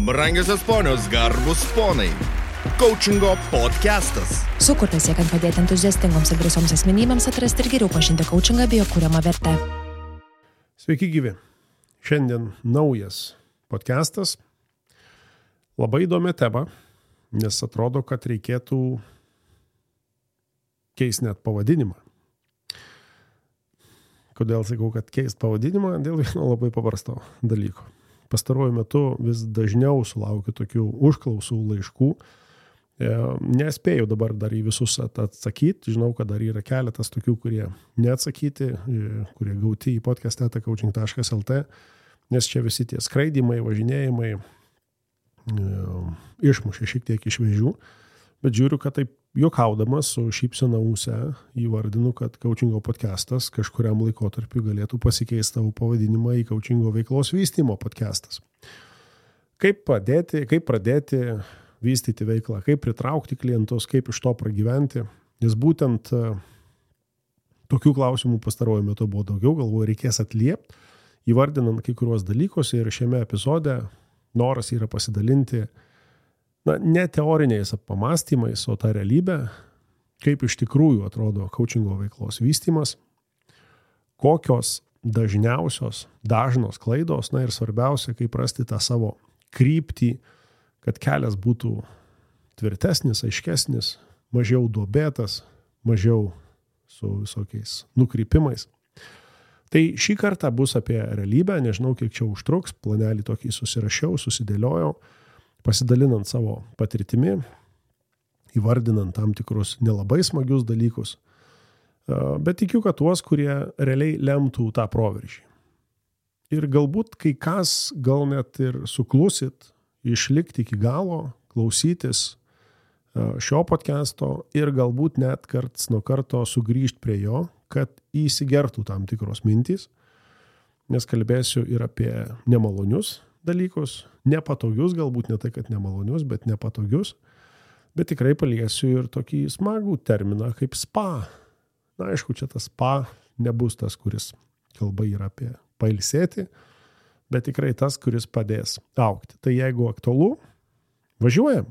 Brangiosios ponios, garbus ponai. Coachingo podcastas. Sukurtas siekiant padėti entuziastingoms ir drąsioms asmenybėms atrasti ir geriau pažinti coachingą bei jo kuriamą vertę. Sveiki gyvi. Šiandien naujas podcastas. Labai įdomi tema, nes atrodo, kad reikėtų keisti net pavadinimą. Kodėl sakau, kad keisti pavadinimą? Dėl vieno labai paprasto dalyko. Pastaruoju metu vis dažniau sulaukiu tokių užklausų laiškų. Nespėjau dabar dar į visus atsakyti. Žinau, kad dar yra keletas tokių, kurie neatsakyti, kurie gauti į podcast.coaching.lt, nes čia visi tie skraidimai, važinėjimai išmušė šiek tiek iš vėžių. Bet žiūriu, kad taip juokaudamas su šypsena ūse įvardinu, kad coachingo podcastas kažkuriam laikotarpiu galėtų pasikeisti tavo pavadinimą į coachingo veiklos vystymo podcastas. Kaip pradėti vystyti veiklą, kaip pritraukti klientus, kaip iš to pragyventi. Nes būtent tokių klausimų pastaruoju metu buvo daugiau, galvoju, reikės atliepti, įvardinant kai kuriuos dalykus ir šiame epizode noras yra pasidalinti ne teoriniais pamastymais, o tą realybę, kaip iš tikrųjų atrodo coachingo veiklos vystymas, kokios dažnos klaidos, ir svarbiausia, kaip rasti tą savo kryptį, kad kelias būtų tvirtesnis, aiškesnis, mažiau duobėtas, mažiau su visokiais nukrypimais. Tai šį kartą bus apie realybę, nežinau, kiek čia užtruks, planelį tokį susirašiau, susidėliojau, pasidalinant savo patirtimi, įvardinant tam tikrus nelabai smagius dalykus, bet tikiu, kad tuos, kurie realiai lemtų tą proveržį. Ir galbūt kai kas gal net ir suklusit, išlikti iki galo, klausytis šio podcasto ir galbūt net karts nuo karto sugrįžti prie jo, kad įsigertų tam tikros mintys, nes kalbėsiu ir apie nemalonius dalykus, nepatogius, galbūt ne tai, kad nemalonius, bet nepatogius, bet tikrai paliesiu ir tokį smagų terminą kaip spa. Aišku, čia tas spa nebus tas, kuris kalba yra apie pailsėti, bet tikrai tas, kuris padės augti. Tai jeigu aktualu, važiuojam.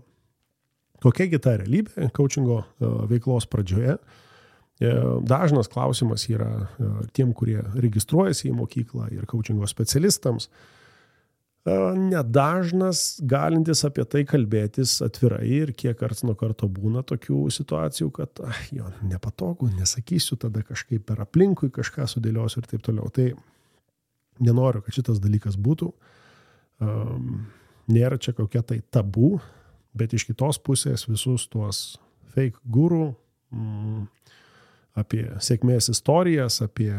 Kokiagi ta realybė coachingo veiklos pradžioje? Dažnas klausimas yra tiem, kurie registruojasi į mokyklą ir coachingo specialistams. Nedažnas galintis apie tai kalbėtis atvirai ir kiek karts nuo karto būna tokių situacijų, kad nepatogu, nesakysiu, tada kažkaip per aplinkui kažką sudėliosiu ir taip toliau. Tai nenoriu, kad šitas dalykas būtų. Nėra čia kokia tai tabu, bet iš kitos pusės visus tuos fake guru, apie sėkmės istorijas, apie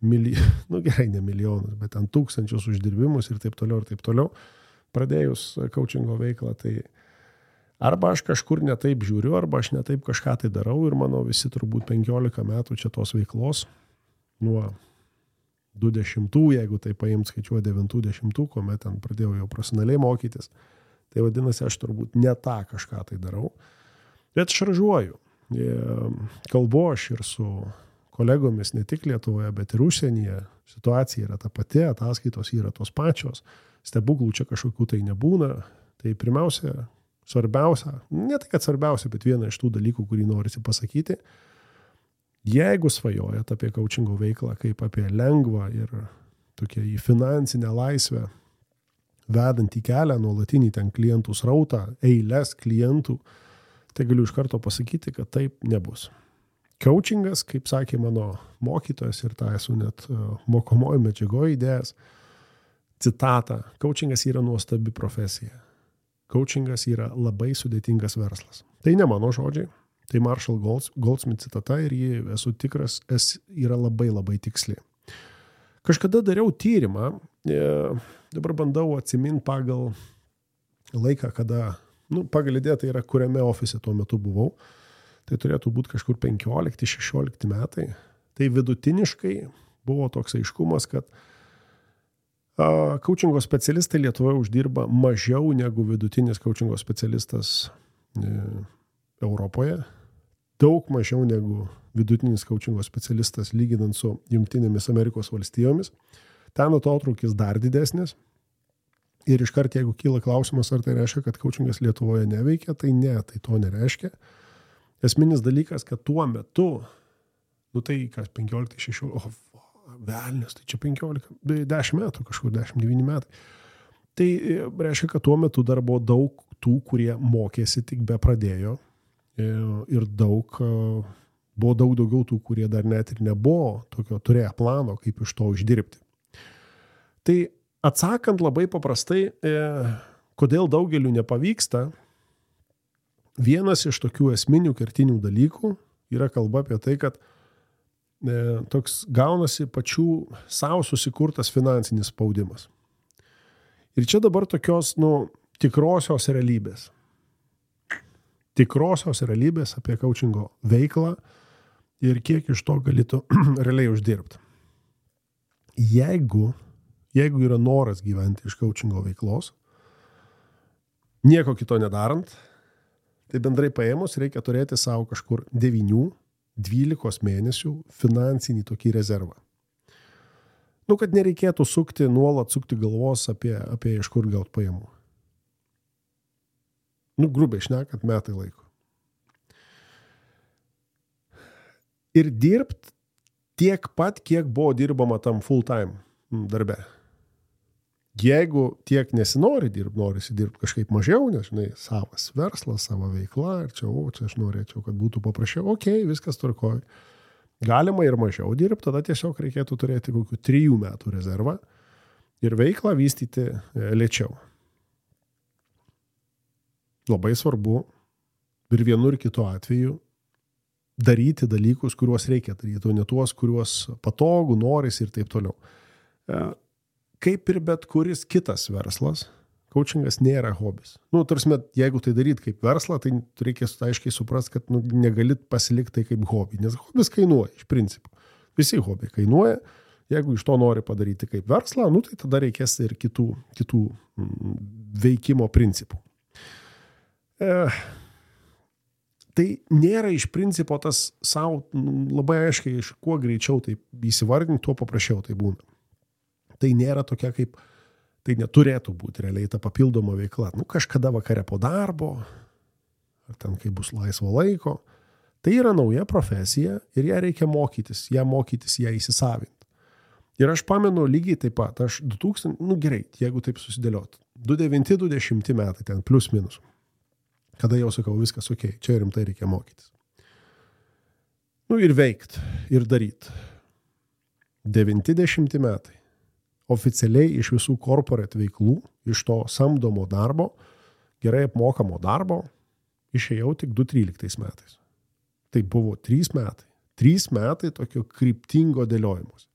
ne milijonus, bet ten tūkstančius uždirbimus ir taip toliau, pradėjus coachingo veiklą, tai arba aš kažkur netaip žiūriu, arba aš netaip kažką tai darau ir mano visi turbūt 15 metų čia tos veiklos, nuo 20, jeigu tai paimt skaičiuoja 90, kuomet ten pradėjau jau profesionaliai mokytis, tai vadinasi, aš turbūt ne tą kažką tai darau, bet šaržuoju. Kalbu aš ir su kolegomis ne tik Lietuvoje, bet ir užsienyje. Situacija yra ta pati, ataskaitos yra tos pačios, stebuklų čia kažkokių tai nebūna. Tai pirmiausia, svarbiausia, ne tai kad svarbiausia, bet viena iš tų dalykų, kurį norisi pasakyti, jeigu svajojat apie coachingo veiklą kaip apie lengvą ir tokia į finansinę laisvę vedantį kelią, nuolatinį ten klientų srautą, eilės klientų, tai galiu iš karto pasakyti, kad taip nebus. Coachingas, kaip sakė mano mokytojas ir tą esu net mokomojo medžiagoje įdėjęs, citatą, coachingas yra nuostabi profesija. Coachingas yra labai sudėtingas verslas. Tai ne mano žodžiai, tai Marshall Goldsmith citata ir jį esu tikras, yra labai labai tiksli. Kažkada dariau tyrimą, dabar bandau atsiminti pagal laiką, kada, pagal idėją tai yra, kuriame ofise tuo metu buvau. Tai turėtų būti kažkur 15-16 metai. Tai vidutiniškai buvo toks aiškumas, kad coachingo specialistai Lietuvoje uždirba mažiau negu vidutinis coachingo specialistas Europoje. Daug mažiau negu vidutinis coachingo specialistas lyginant su Jungtinėmis Amerikos valstijomis. Ten atotrūkis dar didesnis. Ir iškart, jeigu kyla klausimas, ar tai reiškia, kad coachingas Lietuvoje neveikia, tai ne, tai to nereiškia. Esminis dalykas, kad tuo metu, tai kas 15-16, velnės, tai čia 10 metų, kažkur 10-9 metai. Tai reiškia, kad tuo metu dar buvo daug tų, kurie mokėsi, tik be pradėjo. Ir buvo daug daugiau tų, kurie dar net ir nebuvo tokio turėję plano, kaip iš to uždirbti. Tai atsakant labai paprastai, kodėl daugeliu nepavyksta, vienas iš tokių esminių kertinių dalykų yra kalba apie tai, kad toks gaunasi pačių savo susikurtas finansinis spaudimas. Ir čia dabar tokios, tikrosios realybės. Tikrosios realybės apie coachingo veiklą ir kiek iš to galėtų realiai uždirbti. Jeigu yra noras gyventi iš coachingo veiklos, nieko kito nedarant, tai bendrai paėmus reikia turėti savo kažkur 9-12 mėnesių finansinį tokį rezervą. Kad nereikėtų nuolat sukti galvos apie iš kur gauti pajamų. Grubiai šnekant, metai laiko. Ir dirbt tiek pat, kiek buvo dirbama tam full time darbe. Jeigu tiek nesinori dirbti, norisi dirbti kažkaip mažiau, nes, savas verslas, savo veikla, ir čia aš norėčiau, kad būtų paprasčiau, viskas tvarkoja. Galima ir mažiau dirbti, tada tiesiog reikėtų turėti kokių 3 metų rezervą ir veiklą vystyti lėčiau. Labai svarbu ir vienu ir kitu atveju daryti dalykus, kuriuos reikia daryti, o ne tuos, kuriuos patogų, norisi ir taip toliau. Kaip ir bet kuris kitas verslas, coachingas nėra hobis. Tarsi, jeigu tai daryt kaip verslą, tai reikia aiškiai suprasti, kad negalit pasilikti tai kaip hobį, nes hobis kainuoja iš principo. Visi hobiai kainuoja, jeigu iš to nori padaryti kaip verslą, tai tada reikės ir kitų veikimo principų. Tai nėra iš principo tas savo labai aiškiai, kuo greičiau tai įsivardinti, tuo paprasčiau tai būna. Tai nėra tokia kaip, tai neturėtų būti realiai ta papildoma veikla. Kažkada vakare po darbo, ar ten kai bus laisvo laiko, tai yra nauja profesija ir ją reikia mokytis, ją įsisavinti. Ir aš pamenu lygiai taip pat, aš 2000, gerai, jeigu taip susidėliot, 2009-2010 metai, ten plus minus, kada jau sakau, viskas čia rimtai reikia mokytis. Ir veikt, ir daryt. 90 metai. Oficialiai iš visų corporate veiklų, iš to samdomo darbo, gerai apmokamo darbo, išėjau tik 2013 metais. Tai buvo 3 metai. 3 metai tokio kryptingo dėliojimus.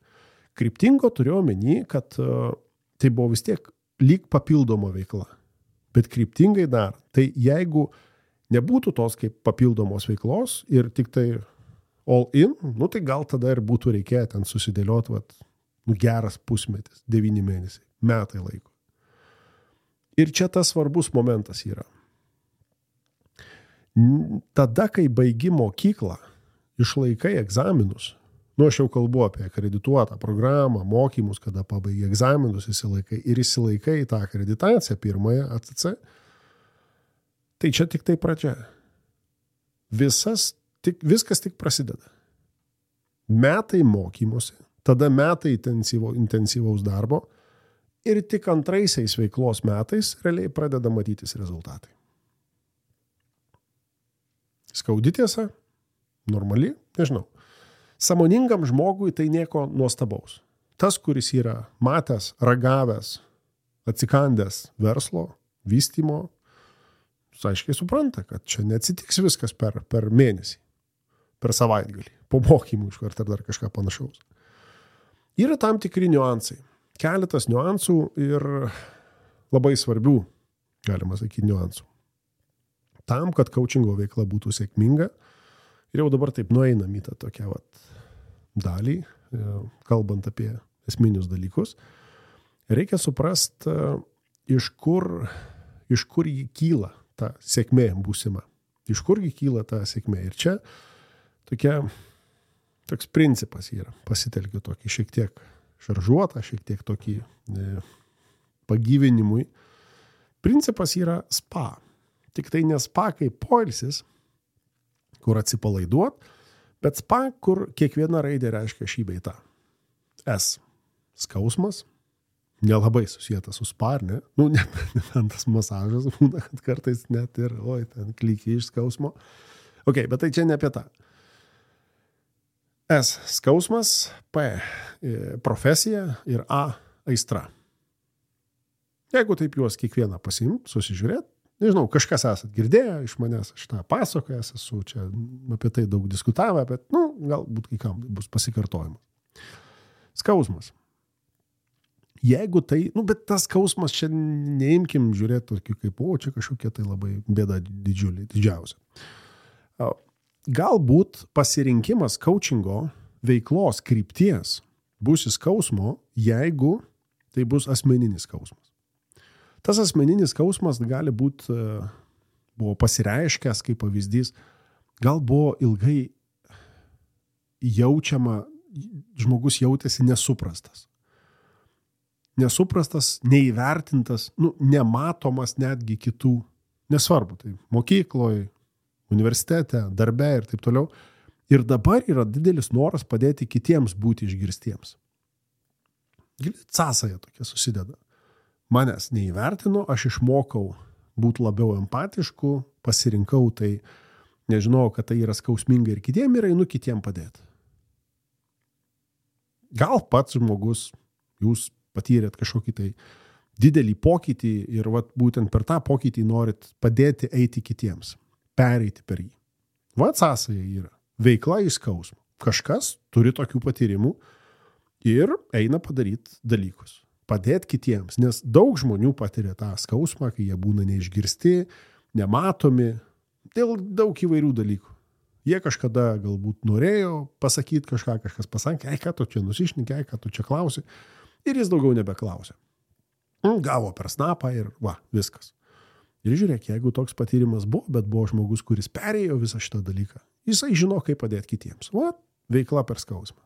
Kryptingo turiu omeny, kad tai buvo vis tiek lyg papildoma veikla. Bet kryptingai dar. Tai jeigu nebūtų tos kaip papildomos veiklos ir tik tai all in, tai gal tada ir būtų reikėję ten susidėlioti geras pusmetis, 9 mėnesiai, metai laiko. Ir čia tas svarbus momentas yra. Tada, kai baigi mokyklą, išlaikai egzaminus, aš jau kalbu apie akredituotą programą, mokymus, kada pabaigi egzaminus, įsilaikai tą akreditaciją pirmąją ACC, tai čia tik tai pradžia. Viskas tik prasideda. Metai mokymosi, tada metai intensyvaus darbo ir tik antraisiais veiklos metais realiai pradeda matytis rezultatai. Skaudi tiesa? Normali? Nežinau. Sąmoningam žmogui tai nieko nuostabaus. Tas, kuris yra matęs, ragavęs, atsikandęs verslo, vystymo, aiškiai supranta, kad čia neatsitiks viskas per mėnesį, per savaitgalį, po mokymų iškart ar dar kažką panašaus. Yra tam tikri niuansai. Keletas niuansų ir labai svarbių, galima sakyti, niuansų. Tam, kad coachingo veikla būtų sėkminga, ir jau dabar taip nueinam į tą tokią dalį, kalbant apie esminius dalykus, reikia suprasti, iš kur jį kyla ta sėkmė būsima. Iš kurgi kyla ta sėkmė. Ir čia toks principas yra. Pasitelkiu tokį šiek tiek šaržuotą, šiek tiek tokį pagyvenimui. Principas yra spa. Tik tai ne spa kaip poilsis, kur atsipalaiduot, bet spa, kur kiekviena raidė reiškia šį bei tą. S. Skausmas. Nelabai susijęta su spa, ar ne? Ne tas masažas būna, kad kartais net ir, ten klykiai iš skausmo. Ok, bet tai čia ne apie tą. S. Skausmas, P. Profesija ir A. Aistra. Jeigu taip juos kiekvieną pasiimt, susižiūrėt, nežinau, kažkas esat girdėję iš manęs, aš tą pasakojęs esu, čia apie tai daug diskutavę, bet, galbūt kai kam bus pasikartojimas. Skausmas. Jeigu tai, bet tas skausmas čia neimkim žiūrėti tokį kaip, čia kažkokia tai labai bėda didžiausia. Galbūt pasirinkimas coachingo veiklos krypties bus į skausmo, jeigu tai bus asmeninis skausmas. Tas asmeninis skausmas gali būti, buvo pasireiškęs kaip pavyzdys, gal buvo ilgai jaučiama, žmogus jautėsi nesuprastas. Nesuprastas, neįvertintas, nematomas netgi kitų, nesvarbu, tai mokykloje, universitete, darbe ir taip toliau. Ir dabar yra didelis noras padėti kitiems būti išgirstiems. Sąsaja tokia susideda. Manęs neįvertino, aš išmokau būti labiau empatišku, pasirinkau tai, nežinau, kad tai yra skausminga ir kitiem ir einu kitiem padėti. Gal pats žmogus, jūs patyrėt kažkokį tai didelį pokytį ir būtent per tą pokytį norit padėti eiti kitiems, pereiti per jį. Sąsaja yra. Veikla į skausmą. Kažkas turi tokių patyrimų ir eina padaryti dalykus. Padėti kitiems, nes daug žmonių patiria tą skausmą, kai jie būna neišgirsti, nematomi, dėl daug įvairių dalykų. Jie kažkada galbūt norėjo pasakyti kažką, kažkas pasakė, ką tu čia nusišnekė, ką tu čia klausi, ir jis daugiau nebeklausė. Gavo per snapą ir viskas. Ir žiūrėk, jeigu toks patyrimas buvo, bet buvo žmogus, kuris perėjo visą šitą dalyką, jisai žino, kaip padėti kitiems. Veikla per skausmą.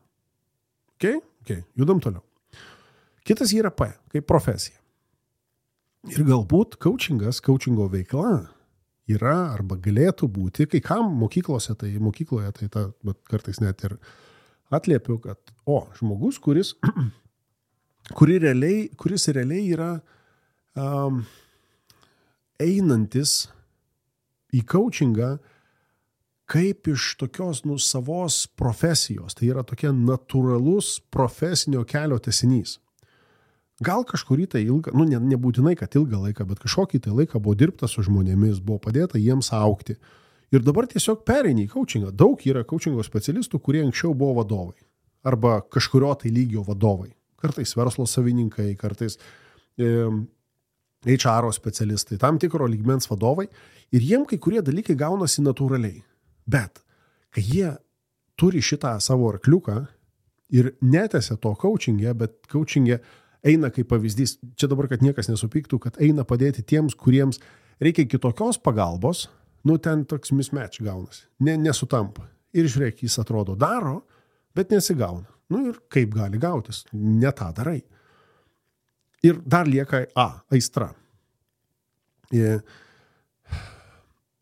Okay, judam toliau. Kitas yra P, kaip profesija. Ir galbūt coachingo veikla yra arba galėtų būti, kai kam mokykloje tai kartais net ir atliepiu, kad žmogus, kuris realiai yra einantis į coachingą kaip iš tokios savos profesijos. Tai yra tokia natūralus profesinio kelio tęsinys. Gal kažkurį tai ilgą, nebūtinai, kad ilgą laiką, bet kažkokį tai laiką buvo dirbta su žmonėmis, buvo padėta jiems augti. Ir dabar tiesiog pereini į coachingą. Daug yra coachingo specialistų, kurie anksčiau buvo vadovai. Arba kažkurio tai lygio vadovai. Kartais verslo savininkai, kartais HR specialistai, tam tikro lygmens vadovai. Ir jiem kai kurie dalykai gaunasi natūraliai. Bet kai jie turi šitą savo arkliuką ir netęsia to coachingė, bet coachingė eina kaip pavyzdys, čia dabar, kad niekas nesupyktų, kad eina padėti tiems, kuriems reikia kitokios pagalbos, ten toks mismatch gaunasi, nesutampa. Ir žiūrėk, jis atrodo daro, bet nesigauna. Ir kaip gali gautis, ne tą darai. Ir dar lieka aistra.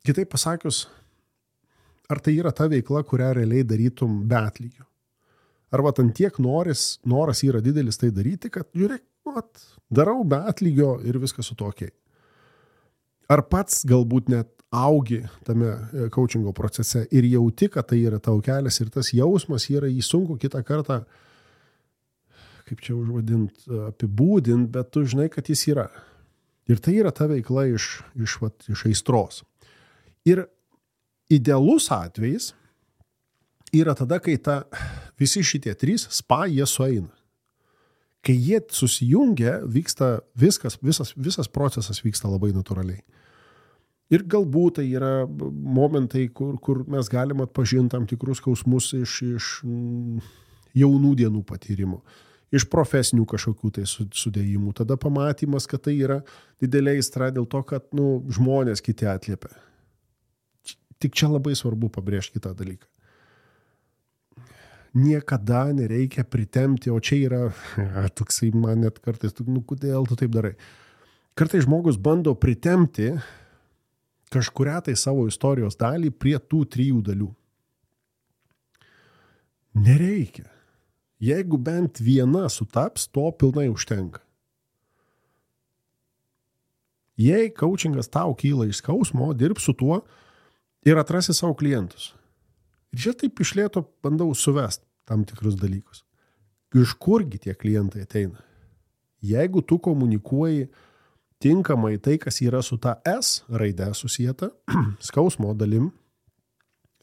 Kitaip pasakius, ar tai yra ta veikla, kurią realiai darytum be atlygio? Arba ten tiek noras yra didelis tai daryti, kad žiūrėk, darau be atlygio ir viskas su to okei. Ar pats galbūt net augi tame coachingo procese ir jauti, kad tai yra tau kelias ir tas jausmas yra jį sunku kitą kartą, kaip čia užvadint, apibūdint, bet tu žinai, kad jis yra. Ir tai yra ta veikla iš aistros. Ir idealus atvejis yra tada, kai visi šitie trys spa jie sueina. Kai jie susijungia, vyksta visas procesas vyksta labai natūraliai. Ir galbūt tai yra momentai, kur mes galim atpažinti tam tikrus skausmus iš jaunų dienų patyrimo, iš profesinių kažkokių tai sudėjimų. Tada pamatymas, kad tai yra didelė aistra dėl to, kad žmonės kiti atliepia. Tik čia labai svarbu pabrėžti kitą dalyką. Niekada nereikia pritempti, o čia yra toksai man net kartais, kodėl tu taip darai. Kartais žmogus bando pritemti kažkurią tai savo istorijos dalį prie tų 3 dalių. Nereikia. Jeigu bent viena sutaps, to pilnai užtenka. Jei coachingas tau kyla iš skausmo, dirb su tuo ir atrasi savo klientus. Ir čia taip iš lėto bandau suvesti tam tikrus dalykus. Iš kurgi tie klientai ateina? Jeigu tu komunikuoji tinkamai tai, kas yra su ta S raide susijęta, skausmo dalim,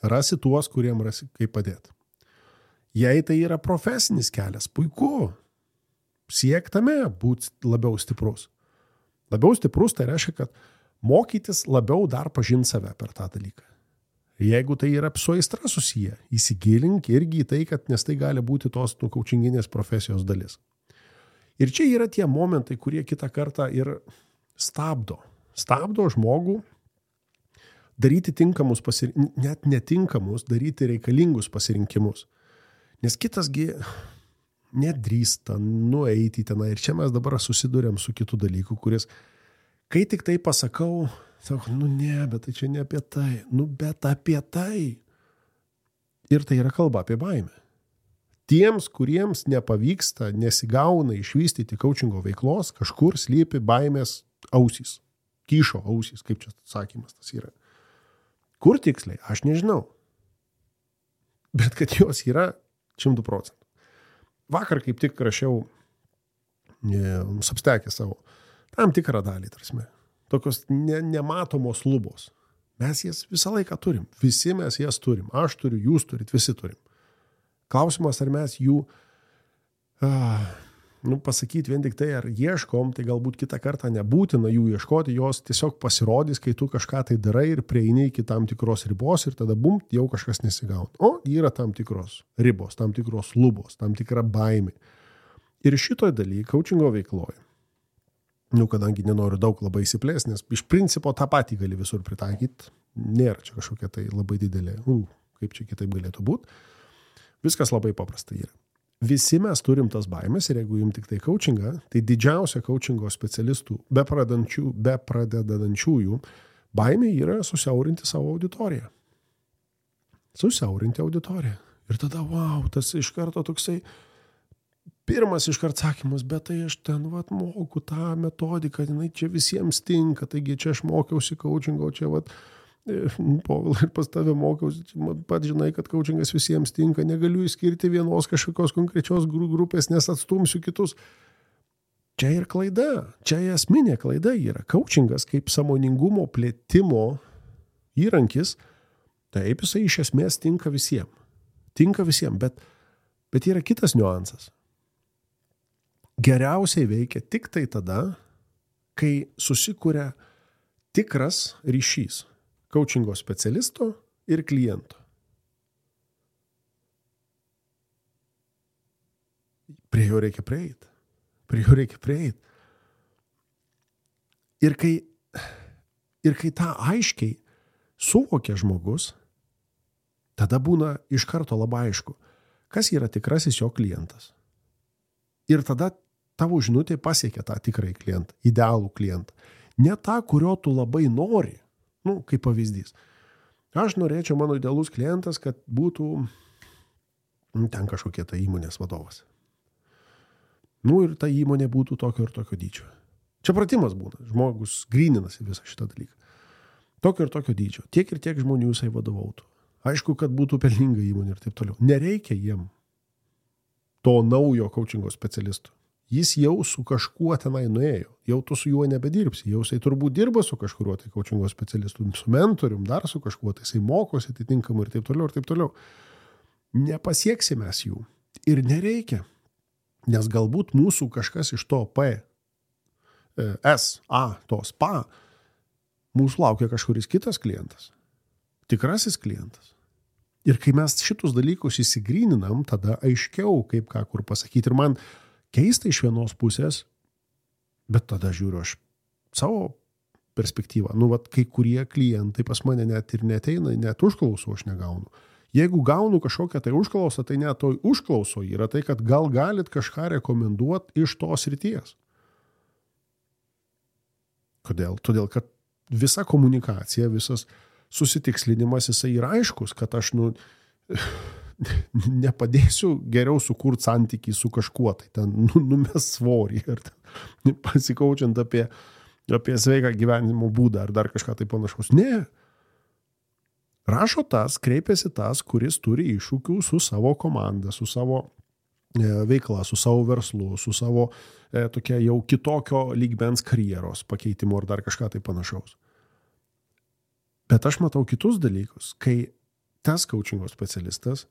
rasi tuos, kuriem rasi kaip padėti. Jei tai yra profesinis kelias, puiku. Siek tame būti labiau stiprus. Labiau stiprus tai reiškia, kad mokytis labiau dar pažinti save per tą dalyką. Jeigu tai yra su aistra susiję, įsigilink irgi į tai, kad nes tai gali būti tos coachinginės profesijos dalis. Ir čia yra tie momentai, kurie kitą kartą ir stabdo žmogų daryti tinkamus net netinkamus, daryti reikalingus pasirinkimus. Nes kitasgi nedrįsta nueiti tenai. Ir čia mes dabar susidurėm su kitu dalyku, kuris, kai tik tai pasakau, sako, ne, bet tai čia ne apie tai. Bet apie tai. Ir tai yra kalba apie baimę. Tiems, kuriems nepavyksta, nesigauna išvystyti coachingo veiklos, kažkur slypi baimės ausys. Kyšo ausys, kaip čia sakymas tas yra. Kur tiksliai? Aš nežinau. Bet kad jos yra 100%. Vakar kaip tik rašiau Substack'e savo tam tikrą dalį, tarsi. Tokios nematomos lubos. Mes jas visą laiką turim. Visi mes jas turim. Aš turiu, jūs turit, visi turim. Klausimas, ar mes jų pasakyti vien tik tai, ar ieškom, tai galbūt kitą kartą nebūtina jų ieškoti, jos tiesiog pasirodys, kai tu kažką tai darai ir prieini iki tam tikros ribos ir tada bum, jau kažkas nesigauna. O yra tam tikros ribos, tam tikros lubos, tam tikra baimė. Ir šitoj daly, coachingo veikloje, kadangi nenoriu daug labai įsiplės, nes iš principo tą patį gali visur pritaikyti, nėra čia kažkokia tai labai didelė, kaip čia kitaip galėtų būti. Viskas labai paprasta yra. Visi mes turim tas baimės ir jeigu jums tik tai coachingą, tai didžiausia coachingo specialistų, be pradedančiųjų, baimė yra susiaurinti savo auditoriją. Susiaurinti auditoriją. Ir tada, tas iš karto toksai pirmas iškart sakymas, bet tai aš ten moku tą metodiką, jinai čia visiems tinka, taigi čia aš mokiausi coachingo, čia Povilai ir pas tave mokiausi, pat žinai, kad coachingas visiems tinka, negaliu įskirti vienos kažkokios konkrečios grupės, nes atstumsiu kitus. Čia ir klaida, čia esminė klaida yra. Coachingas kaip sąmoningumo plėtimo įrankis, taip jisai iš esmės tinka visiems. Tinka visiems, bet yra kitas niuansas. Geriausiai veikia tik tai tada, kai susikuria tikras ryšys coachingo specialisto ir kliento. Prie jo reikia prieiti. Ir kai tą aiškiai suvokia žmogus, tada būna iš karto labai aišku, kas yra tikrasis jo klientas. Ir tada tavo žinutė pasiekia tą tikrąjį klientą, idealų klientą. Ne tą, kurio tu labai nori. Kaip pavyzdys. Aš norėčiau, mano idealus klientas, kad būtų ten kažkokie tai įmonės vadovas. Ir ta įmonė būtų tokio ir tokio dydžio. Čia pratimas būna. Žmogus gryninasi visą šitą dalyką. Tokio ir tokio dydžio. Tiek ir tiek žmonių jisai vadovautų. Aišku, kad būtų pelninga įmonė ir taip toliau. Nereikia jiem to naujo coachingo specialisto. Jis jau su kažkuo tenai nuėjo. Jau tu su juo nebedirbsi. Jau jisai turbūt dirba su kažkuriuo tai coachingo specialistu, su mentorium, dar su kažkuo, tai jisai mokosi atitinkamai ir taip toliau, ir taip toliau. Nepasieksime mes jų. Ir nereikia. Nes galbūt mūsų kažkas iš to tos PA, mūsų laukia kažkuris kitas klientas. Tikrasis klientas. Ir kai mes šitus dalykus įsigryninam, tada aiškiau, kaip ką kur pasakyti. Ir man keista iš vienos pusės, bet tada žiūriu aš savo perspektyvą. Kai kurie klientai pas mane net ir neteina, net užklausų aš negaunu. Jeigu gaunu kažkokią tai užklausą, tai net toj užklauso yra tai, kad gal galit kažką rekomenduoti iš tos srities. Kodėl? Todėl, kad visa komunikacija, visas susitikslinimas, jisai yra aiškus, kad aš nepadėsiu geriau sukurti santykį su kažkuo, tai ten numes svorį ir pasikaučiant apie sveiką gyvenimo būdą ar dar kažką tai panašaus. Ne. Rašo tas, kreipiasi tas, kuris turi iššūkių su savo komanda, su savo veikla, su savo verslu, su savo tokia jau kitokio lygmens karjeros pakeitimu ar dar kažką tai panašaus. Bet aš matau kitus dalykus, kai tas coachingo specialistas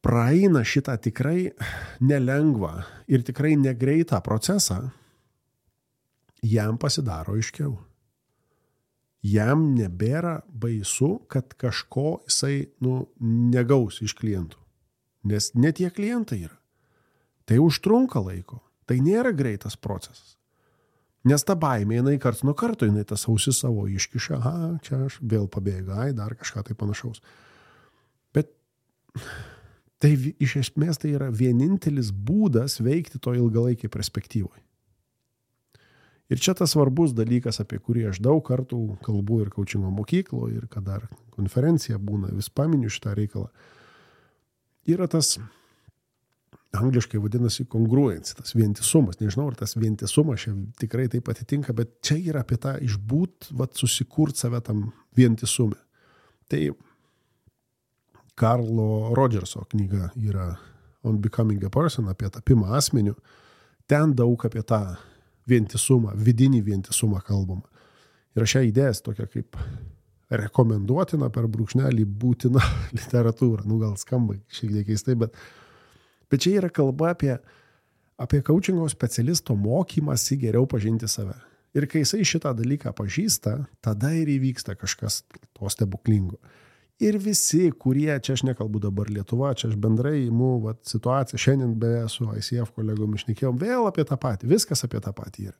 praeina šitą tikrai nelengvą ir tikrai negreitą procesą, jam pasidaro aiškiau. Jam nebėra baisu, kad kažko jisai negaus iš klientų. Nes ne tie klientai yra. Tai užtrunka laiko. Tai nėra greitas procesas. Nes ta baimė, jinai karts nuo karto, jinai tas ausis savo iškiša, čia aš vėl pabėgai, dar kažką tai panašaus. Bet tai iš esmės tai yra vienintelis būdas veikti to ilgalaikiai perspektyvoje. Ir čia tas svarbus dalykas, apie kurį aš daug kartų kalbu ir coachingo mokykloje, ir kad dar konferencija būna, vis paminiu šitą reikalą. Yra tas, angliškai vadinasi congruence, tas vientisumas. Nežinau, ar tas vientisumas čia tikrai taip atitinka, bet čia yra apie tą išbūt, susikurt save tam vientisume. Tai Karlo Rodžerso knyga yra On Becoming a Person, apie tapimą asmeniu. Ten daug apie tą vientisumą, vidinį vientisumą kalbama. Ir šią idėją tokia kaip rekomenduotina per brūkšnelį būtina literatūra. Gal skamba šiek tiek keistai, bet čia yra kalba apie coachingo specialisto mokymąsi geriau pažinti save. Ir kai jisai šitą dalyką pažįsta, tada ir įvyksta kažkas to stebuklingo. Ir visi, kurie, čia aš nekalbu dabar Lietuva, čia aš bendrai imu situaciją, šiandien beje su ICF kolegomis šnekėjom, vėl apie tą patį, viskas apie tą patį yra.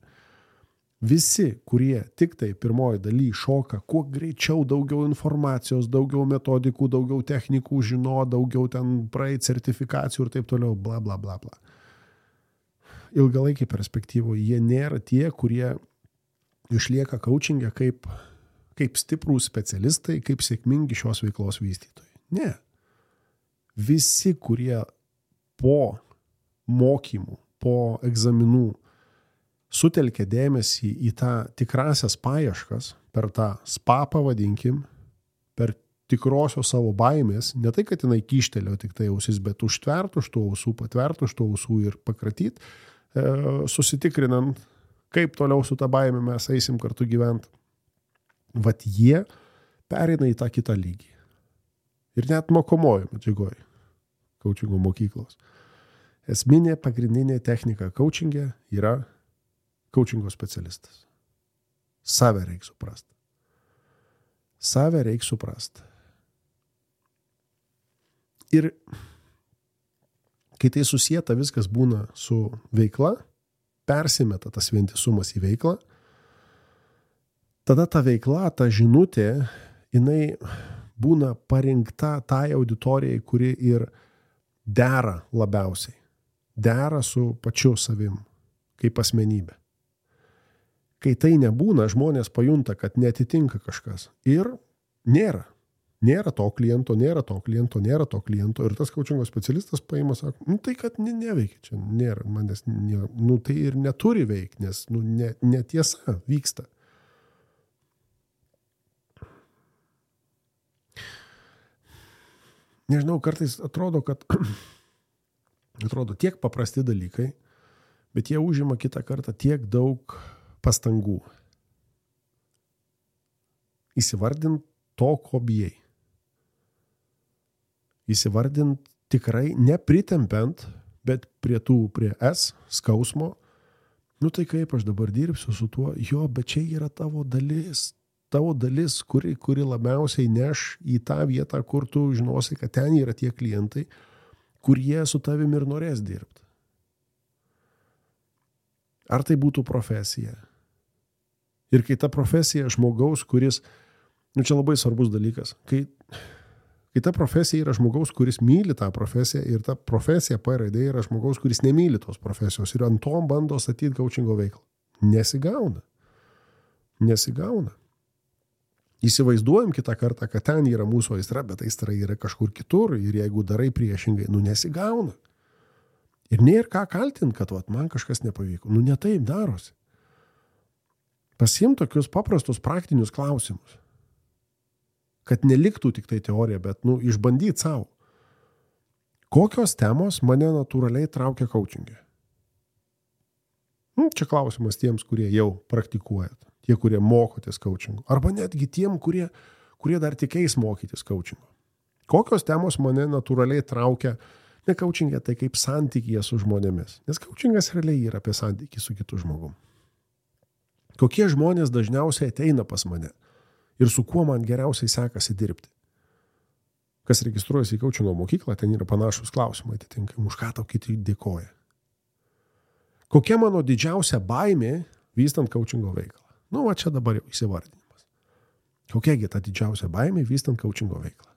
Visi, kurie tik tai pirmoji daly šoka, kuo greičiau daugiau informacijos, daugiau metodikų, daugiau technikų žino, daugiau ten praeit sertifikacijų ir taip toliau, bla, bla, bla, bla. Ilgalaikiai perspektyvoje jie nėra tie, kurie išlieka coachingė kaip stiprūs specialistai, kaip sėkmingi šios veiklos vystytojai. Ne. Visi, kurie po mokymų, po egzaminų sutelkia dėmesį į tą tikrasias paieškas, per tą spa pavadinkim, per tikrosios savo baimės, ne tai, kad jinai kyštelio tik tai ausis, bet užtvert už tų ausų, patvert už tų ausų ir pakratyt, susitikrinant, kaip toliau su tą baimė mes eisim kartu gyventi. Jie pereina į tą kitą lygį. Ir net mokomojo medžiagoj coachingo mokyklos. Esminė pagrindinė technika coachingė yra coachingo specialistas. Save reikia suprasti. Save reikia suprasti. Ir kai tai susieta viskas būna su veikla, persimeta tas vientisumas į veiklą, tada ta veikla, ta žinutė, jinai būna parinkta tai auditorijai, kuri ir dera labiausiai. Dera su pačiu savim, kaip asmenybė. Kai tai nebūna, žmonės pajunta, kad netitinka kažkas. Ir nėra. Nėra to kliento, nėra to kliento, nėra to kliento. Ir tas coachingo specialistas paima, sako, tai kad neveikia čia, nėra manęs, tai ir neturi veikti, nes netiesa vyksta. Nežinau, kartais atrodo tiek paprasti dalykai, bet jie užima kitą kartą tiek daug pastangų. Įsivardint to, ko bijai. Įsivardint tikrai nepritempiant, bet prie S, skausmo. Tai kaip aš dabar dirbsiu su tuo? Jo, bet čia yra tavo dalis. Tavo dalis, kuri labiausiai neš į tą vietą, kur tu žinosi, kad ten yra tie klientai, kurie su tavimi ir norės dirbti. Ar tai būtų profesija? Ir kai ta profesija žmogaus, kuris, čia labai svarbus dalykas, kai ta profesija yra žmogaus, kuris myli tą profesiją ir ta profesija P-raidė yra žmogaus, kuris nemyli tos profesijos ir ant to bando statyti coachingo veiklą. Nesigauna. Nesigauna. Įsivaizduojam kitą kartą, kad ten yra mūsų aistra, bet aistra yra kažkur kitur ir jeigu darai priešingai, nesigauna. Ir nėra ką kaltinti, kad man kažkas nepavyko. Ne taip darosi. Pasiim tokius paprastus praktinius klausimus. Kad neliktų tik tai teorija, bet išbandyti savo. Kokios temos mane natūraliai traukia coachingė? Čia klausimas tiems, kurie jau praktikuojat. Tie, kurie mokotės coachingo. Arba netgi tiem, kurie dar tikės mokytis coachingo. Kokios temos mane natūraliai traukia, ne coachingė, tai kaip santykyje su žmonėmis. Nes coachingas realiai yra apie santykį su kitu žmogum. Kokie žmonės dažniausiai ateina pas mane ir su kuo man geriausiai sekasi dirbti. Kas registruojasi į coachingo mokyklą, ten yra panašus klausimai, atitinkamai, už ką tau kiti dėkoja. Kokia mano didžiausia baimė vystant coachingo veiklą? Va čia dabar jau įsivardinimas. Kokiagi ta didžiausia baimė vystant coachingo veiklą?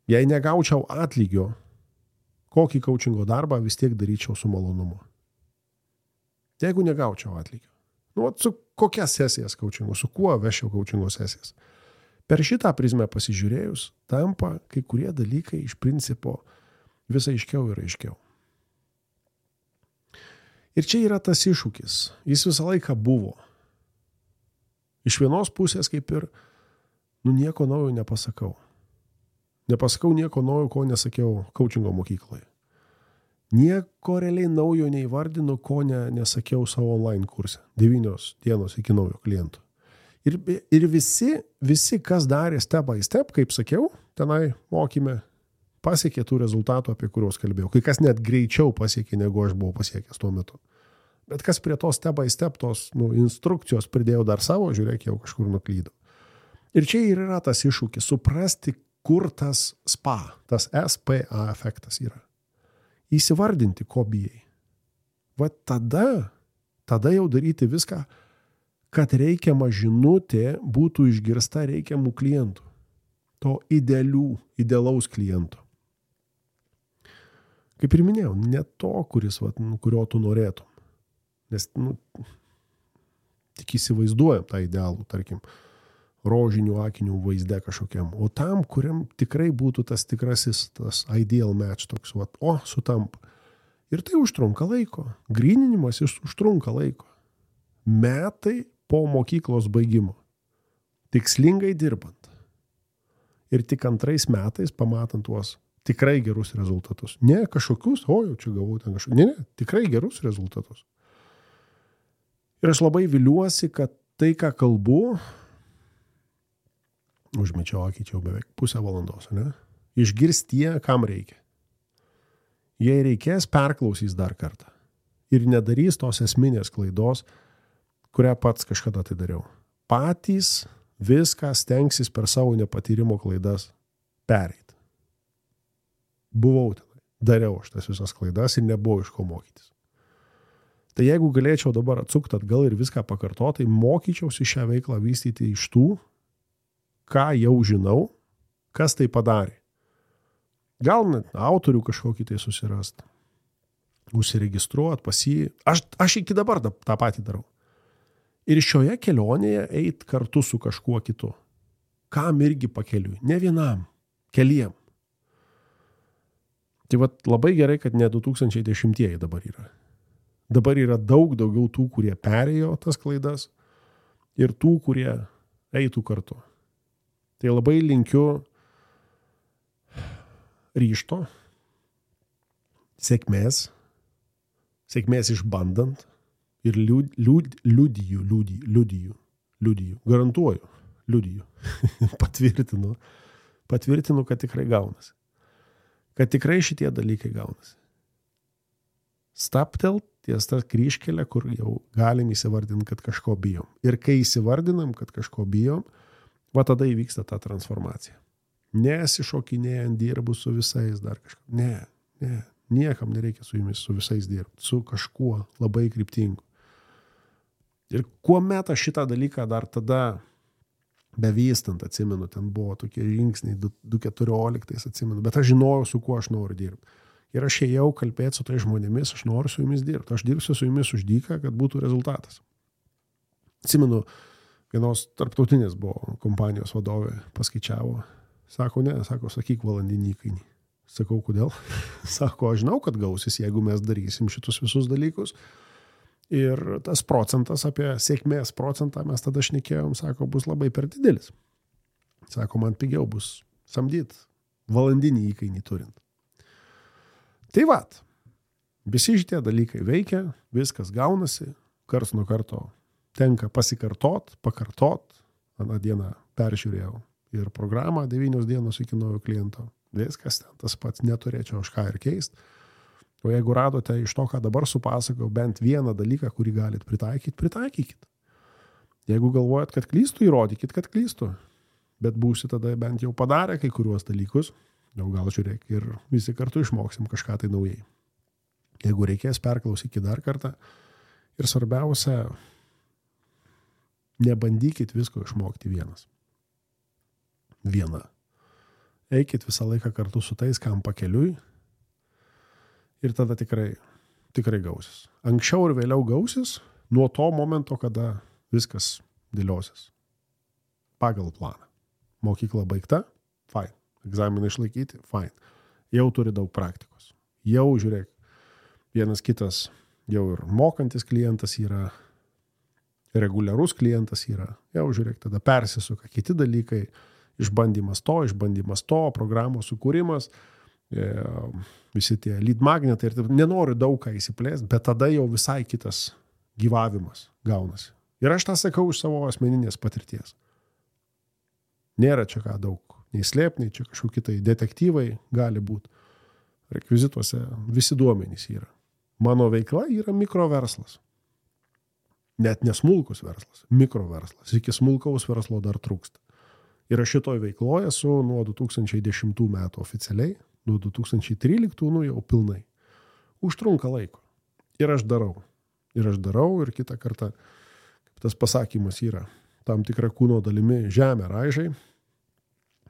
Jei negaučiau atlygio, kokį coachingo darbą vis tiek daryčiau su malonumu. Jeigu negaučiau atlygio. Su kokia sesijas coachingo, su kuo vešiau coachingo sesijas. Per šitą prizmę pasižiūrėjus, tampa kai kurie dalykai iš principo vis aiškiau ir aiškiau. Ir čia yra tas iššūkis. Jis visą laiką buvo. Iš vienos pusės kaip ir, nieko naujo nepasakau. Nepasakau nieko naujo, ko nesakiau coachingo mokykloje. Nieko realiai naujo neįvardinu, ko nesakiau savo online kurse. 9 dienos iki naujo klientų. Ir visi, kas darė step by step, kaip sakiau, tenai mokyme, pasiekė tų rezultatų, apie kuriuos kalbėjau. Kai kas net greičiau pasiekė, negu aš buvau pasiekęs tuo metu. Bet kas prie to step by step, tos instrukcijos pridėjau dar savo, žiūrėk, jau kažkur nuklydau. Ir čia ir yra tas iššūkis, suprasti, kur tas SPA, tas SPA efektas yra. Įsivardinti, ko bijai. Tada jau daryti viską, kad reikiama žinutė būtų išgirsta reikiamų klientų. To idealaus kliento. Kaip ir minėjau, ne to, kurio tu norėtum. Nes, tik įsivaizduojam tą idealų, tarkim, rožinių akinių vaizde kažkokiam. O tam, kuriam tikrai būtų tas tikrasis, tas ideal match toks, sutampa. Ir tai užtrunka laiko. Gryninimas užtrunka laiko. Metai po mokyklos baigimo. Tikslingai dirbant. Ir tik 2 metais pamatant tuos tikrai gerus rezultatus. Ne kažkokius, jau čia gavau ten kažkokius. Ne, tikrai gerus rezultatus. Ir aš labai viliuosi, kad tai, ką kalbu, užmečiau akį, čia jau beveik 0,5 valandos, ne? Išgirs tie, kam reikia. Jei reikės, perklausys dar kartą. Ir nedarys tos esminės klaidos, kurią pats kažkada tai dariau. Patys viską stengsis per savo nepatyrimo klaidas pereiti. Buvau tenai, dariau aš tas visas klaidas ir nebuvo iš ko mokytis. Tai jeigu galėčiau dabar atsukti atgal ir viską pakartoti, tai mokyčiausi šią veiklą vystyti iš tų, ką jau žinau, kas tai padarė. Gal net autorių kažkokį tai susirast, užsiregistruot pas jį. Aš iki dabar tą patį darau. Ir šioje kelionėje eit kartu su kažkuo kitu. Kam irgi pakeliui. Ne vienam, keliem. Tai labai gerai, kad ne 2010 dabar yra. Dabar yra daug daugiau tų, kurie perėjo tas klaidas ir tų, kurie eitų kartu. Tai labai linkiu ryžto, sėkmės išbandant ir liudiju, garantuoju, patvirtinu, kad tikrai gaunasi. Kad tikrai šitie dalykai gaunasi. Staptelt ties tą kryžkelę, kur jau galim įsivardinti, kad kažko bijom. Ir kai įsivardinam, kad kažko bijom, tada įvyksta ta transformacija. Nesišokinėjant dirbu su visais dar kažką. Ne, niekam nereikia su jumis, su visais dirbti. Su kažkuo labai kryptingu. Ir kuomet aš šitą dalyką dar tada bevystant, atsimenu, ten buvo tokie žingsniai 2014, atsimenu, bet aš žinojau, su kuo aš noriu dirbti. Ir aš ėjau kalbėti su tai žmonėmis, aš noriu su jumis dirbti. Aš dirbsiu su jumis už dyką, kad būtų rezultatas. Atsimenu, vienos tarptautinės buvo kompanijos vadovė, paskaičiavo. Sako, sakyk valandinį įkainį. Sakau, kodėl? Sako, aš žinau, kad gausis, jeigu mes darysim šitus visus dalykus. Ir tas procentas, apie sėkmės procentą mes tada šnekėjom, sako, bus labai per didelis. Sako, man pigiau bus samdyt valandinį įkainį turint. Tai vat, visi šitie dalykai veikia, viskas gaunasi, karts nuo karto tenka pakartot. Aną dieną peržiūrėjau ir programą 9 dienos iki naujo kliento. Viskas ten tas pats, neturėčiau aš ką ir keist. O jeigu radote iš to, ką dabar supasakau, bent vieną dalyką, kurį galit pritaikykit. Jeigu galvojat, kad klystu, įrodykit, kad klystu. Bet būsi tada bent jau padarę kai kuriuos dalykus, jau gal žiūrėk ir visi kartu išmoksim kažką tai naujai. Jeigu reikės, perklausykit dar kartą. Ir svarbiausia, nebandykit visko išmokti vienas. Viena. Eikit visą laiką kartu su tais, kam pakeliui. Ir tada tikrai gausis. Anksčiau ir vėliau gausis nuo to momento, kada viskas dėliosis. Pagal planą. Mokykla baigta, fine. Egzaminą išlaikyti, fine. Jau turi daug praktikos. Jau, žiūrėk, vienas kitas jau ir mokantis klientas yra, reguliarus klientas yra. Jau, žiūrėk, tada persisuka kiti dalykai, išbandymas to, programos sukūrimas, visi tie lead magnetai. Ir nenoriu daug ką įsiplėsti, bet tada jau visai kitas gyvavimas gaunasi. Ir aš tą sakau iš savo asmeninės patirties. Nėra čia ką daug, nei slėpniai, čia kažkokie tai detektyvai gali būti. Rekvizituose visi duomenys yra. Mano veikla yra mikroverslas. Net nesmulkus verslas, mikroverslas. Iki smulkaus verslo dar trūksta. Ir aš šitoj veikloje esu nuo 2010 metų oficialiai, nuo 2013 jau pilnai. Užtrunka laiko. Ir aš darau. Ir kitą kartą, kaip tas pasakymas yra, tam tikrą kūno dalimi žemę raižai,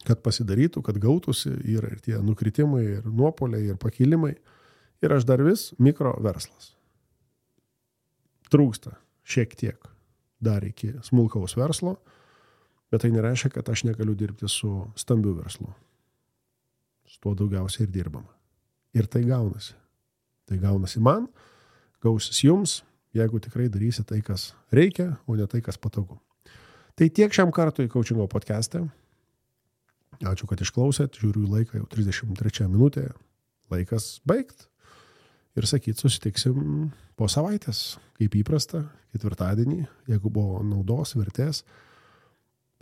kad pasidarytų, kad gautųsi, yra ir tie nukritimai, ir nuopoliai, ir pakilimai. Ir aš dar vis mikroverslas. Trūksta šiek tiek dar iki smulkaus verslo, bet tai nereiškia, kad aš negaliu dirbti su stambiu verslu. Su tuo daugiausiai ir dirbama. Ir tai gaunasi. Tai gaunasi man, gausis jums, jeigu tikrai darysi tai, kas reikia, o ne tai, kas patogu. Tai tiek šiam kartui Coachingo podcast'e. Ačiū, kad išklausėt. Žiūriu į laiką, jau 33 minutė. Laikas baigt. Ir sakyt, susitiksim po savaitės, kaip įprasta, ketvirtadienį. Jeigu buvo naudos, vertės,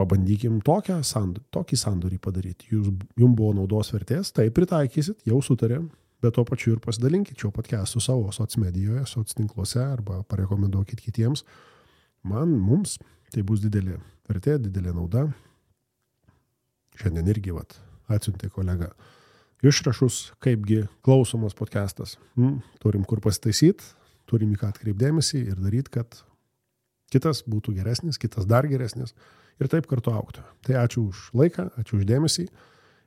pabandykim tokį sandorį padaryti. Jums buvo naudos vertės, tai pritaikysit, jau sutarėm, bet to pačiu ir pasidalinkit šio podcast'u savo socmedijoje, soctinkluose arba parekomenduokit kitiems. Mums tai bus didelė vertė, didelė nauda. Šiandien irgi atsiuntė kolega išrašus, kaipgi klausomas podcastas. Turim kur pasitaisyti, turim į ką atkreipdėmėsi ir daryti, kad kitas būtų geresnis, kitas dar geresnis ir taip kartu augtų. Tai ačiū už laiką, ačiū už dėmesį.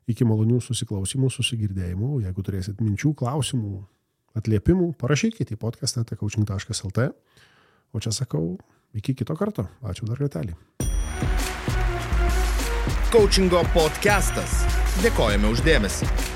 Iki malonių susiklausimų, susigirdėjimų. Jeigu turėsit minčių, klausimų, atliepimų, parašykite į podcast@coaching.lt. O čia sakau, iki kito karto. Ačiū dar kartelį. Coachingo podcastas. Dėkojame už dėmesį.